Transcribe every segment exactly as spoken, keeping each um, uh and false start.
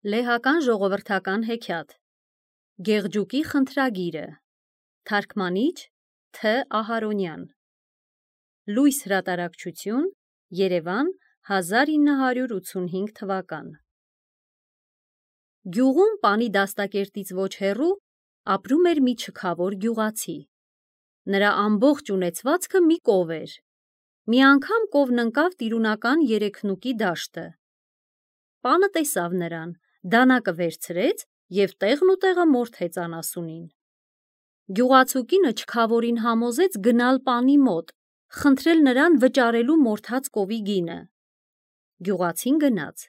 Լեհական ժողովրդական հեքիաթ Գեղջուկի խնդրագիրը Թարգմանիչ Თ. Ահարոնյան Լույս հրատարակչություն Երևան հազար ինը հարյուր ութսունհինգ թվական Գյուղում պանի դաստակերտից ոչ հեռու ապրում էր մի չքավոր գյուղացի։ Նրա ամբողջ ունեցվածքը մի կով էր։ Մի անգամ կովն ընկավ տիրունական երեքնուկի դաշտը։ Պանը տեսավ նրան, դանակը վերցրեց և տեղն ու տեղը մորթեց անասունին։ Գյուղացու կինը չքավորին համոզեց գնալ պանի մոտ, խնդրել նրան վճարելու մորթած կովի գինը։ Գյուղացին գնաց,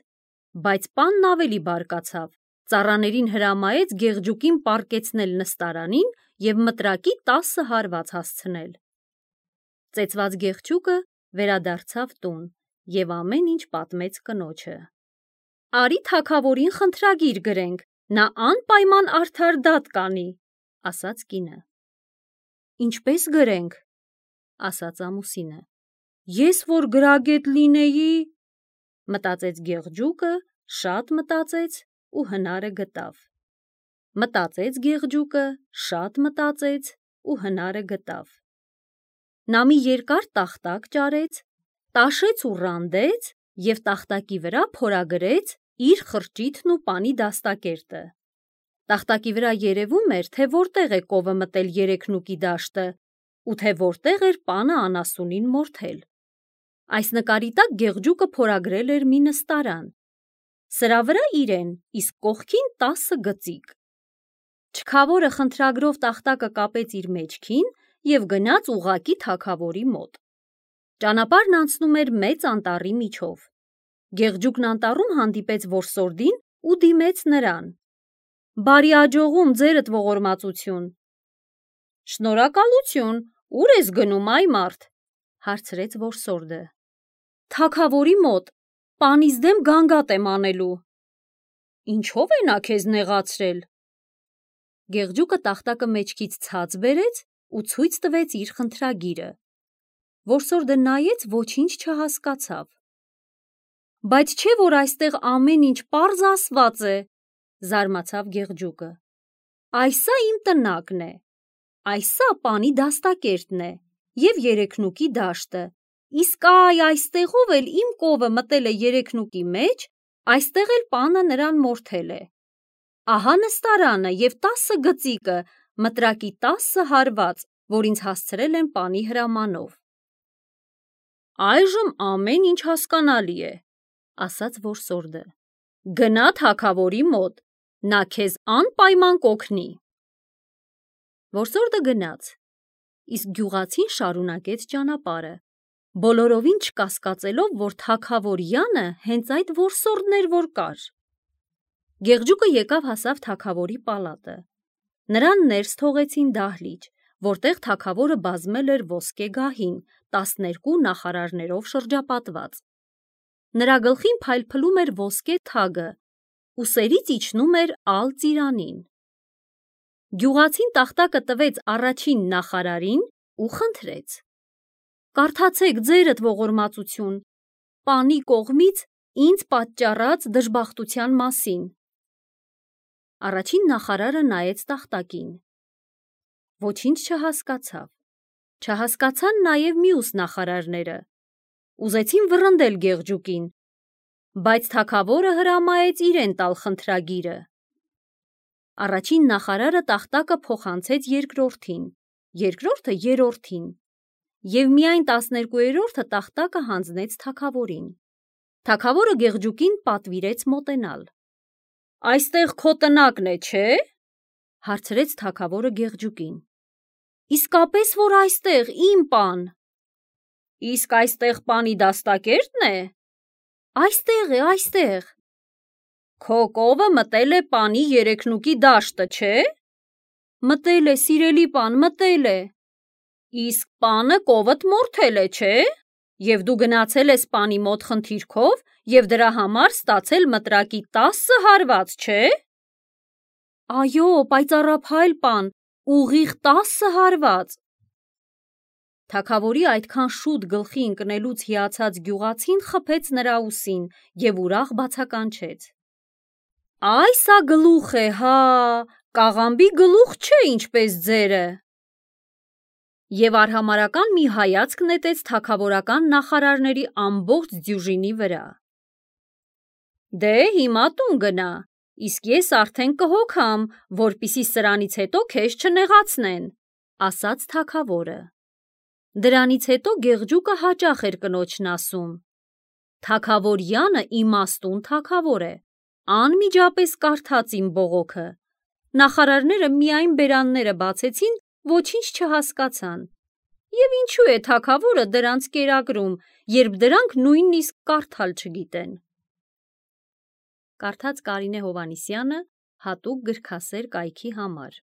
բայց պանն ավելի բարկացավ, ծառաներին հրամայեց Գեղջուկին պառկեցնել նստարանին և մտրակի տասը հարված հասցնել։ Ծեծված Գեղջուկը վերադարձավ տուն և ամեն ինչ պատմեց կնոջը։ Արի թագավորին խնդրագիր գրենք, նա անպայման արդար դատ կանի, ասաց կինը։ Ինչպես գրենք, ասաց ամուսինը։ Ես որ գրագետ լինեի, մտածեց Գեղջուկը, շատ մտածեց ու հնարը գտավ։ Մտածեց Գեղջուկը, շատ մտածեց ու հնարը գտավ։ Նա մի երկար տախտակ ճարեց, տաշեց ու ռանդեց և տախտակի վրա փորագրեց իր խրճիթն ու պանի դաստակերտը։ Տախտակի վրա երևում էր, թե որտեղ է կովը մտել երեքնուկի դաշտը ու թե որտեղ էր պանը անասունին մորթել։ Այս նկարի տակ Գեղջուկը փորագրել էր մի նստարան։ Սրա վրա իրեն, իսկ կողքին տասը գծիկ։ Չքավորը խնդրագրով տախտակը կապեց իր մեջքին և գնաց ուղղակի թագավորի մոտ։ Ճանապարհն անցնում էր մեծ անտառի միջով։ Գեղջուկն անտառում հանդիպեց որսորդին ու դիմեց նրան։ Բարի աջողում, ձերդ ողորմածություն։ Շնորհակալություն, ուր ես գնում, այ մարդ, հարցրեց որսորդը։ Թագավորի մոտ, պանիս դեմ գանգատ եմ անելու։ Ինչո՞վ է նա քեզ նեղացրել։ Գեղջուկը տախտակը մեջքից ցած բերեց ու ցույց տվեց իր խնդրագիրը։ Որսորդը նայեց, ոչինչ չհասկացավ։ Բայց չէ՞ որ այստեղ ամեն ինչ պարզ ասված է, զարմացավ Գեղջուկը։ Այսա իմ տնակն է, այսա պանի դաստակերտն է և երեքնուկի դաշտը, իսկ այ այստեղով էլ իմ կովը մտել է երեքնուկի մեջ, այստեղ էլ պանը նրան մորթել է։ Ահա նստարանը և տասը գծիկը, մտրակի տասը հարված, որ ինձ հասցրել են պանի հրամանով։ Այժմ ամեն ինչ հասկանալի է, ասաց որսորդը։ Գնա թագավորի մոտ, նա քեզ անպայման կօգնի։ Որսորդը գնաց, իսկ գյուղացին շարունակեց ճանապարհը, բոլորովին չկասկածելով, որ թագավորյանը հենց այդ որսորդն էր, որ կար։ Գեղջուկը եկավ հասավ թագավորի պալատը։ Նրան ներս թողեցին դահլիճ, որտեղ թագավորը բազմել էր ոսկե գահին, տասներկու նախարարներով շրջապատված։ Նրա գլխին փայլփլում էր ոսկե թագը, ուսերից իջնում էր ալ ծիրանին։ Գյուղացին տախտակը տվեց առաջին նախարարին ու խնդրեց. Կարդացեք, ձերդ ողորմածություն, պանի կողմից ինձ պատճառած դժբախտության մասին։ Առաջին նախարարը նայեց տախտակին։ Ոչինչ չհասկացավ։ Չհասկացան նաև մյուս նախարարները։ Ուզեցին վռնդել Գեղջուկին, բայց թագավորը հրամայեց իրեն տալ խնդրագիրը։ Առաջին նախարարը տախտակը փոխանցեց երկրորդին, երկրորդը երրորդին, և միայն տասներկուերորդը տախտակը հանձնեց թագավորին։ Թագավորը Գեղջուկին պատվիրեց մոտենալ։ Այստեղ քո տնակն է, չէ՞, հարցրեց թագավորը Գեղջուկին։ Իսկապես որ այստեղ, իմ պան։ Իսկ այստեղ պանի դաստակերտն է։ Այստեղ է, այստեղ։ Քո կովը մտել է պանի երեքնուկի դաշտը, չէ՞։ Մտել է, սիրելի պան, մտել է։ Իսկ պանը կովդ մորթել է, չէ՞։ Եվ դու գնացել ես պանի մոտ խնդիրքով և դրա համար ստացել մտրակի տասը հարված, չէ՞։ Այո, պայծառափայլ պան, ուղիղ տասը հարված։ Թագավորի այդքան շուտ գլխի ընկնելուց հիացած գյուղացին խփեց նրա ուսին և ուրախ բացականչեց։ Այ սա գլուխ է, հա, կաղամբի գլուխ չէ, ինչպես ձերը։ Եվ արհամարհական մի հայացք նետեց թագավորական նախարարների ամբողջ դյուժինի վրա։ Դե հիմա տուն գնա, իսկ ես արդեն կհոգամ, որպիսի սրանից հետո քեզ չնեղացնեն, ասաց թագավորը։ Դրանից հետո Գեղջուկը հաճախ էր կնոջն ասում. Թագավորյանը իմաստուն թագավոր է, անմիջապես կարդաց իմ բողոքը։ Նախարարները միայն բերանները բացեցին, ոչինչ չհասկացան։ Եվ ինչու է թագավորը դրանց կերակրում, երբ դրանք նույնիսկ կարդալ չգիտեն։ Կարդաց Կարինե Հովհաննիսյանը հատուկ գրքասեր կայքի համար։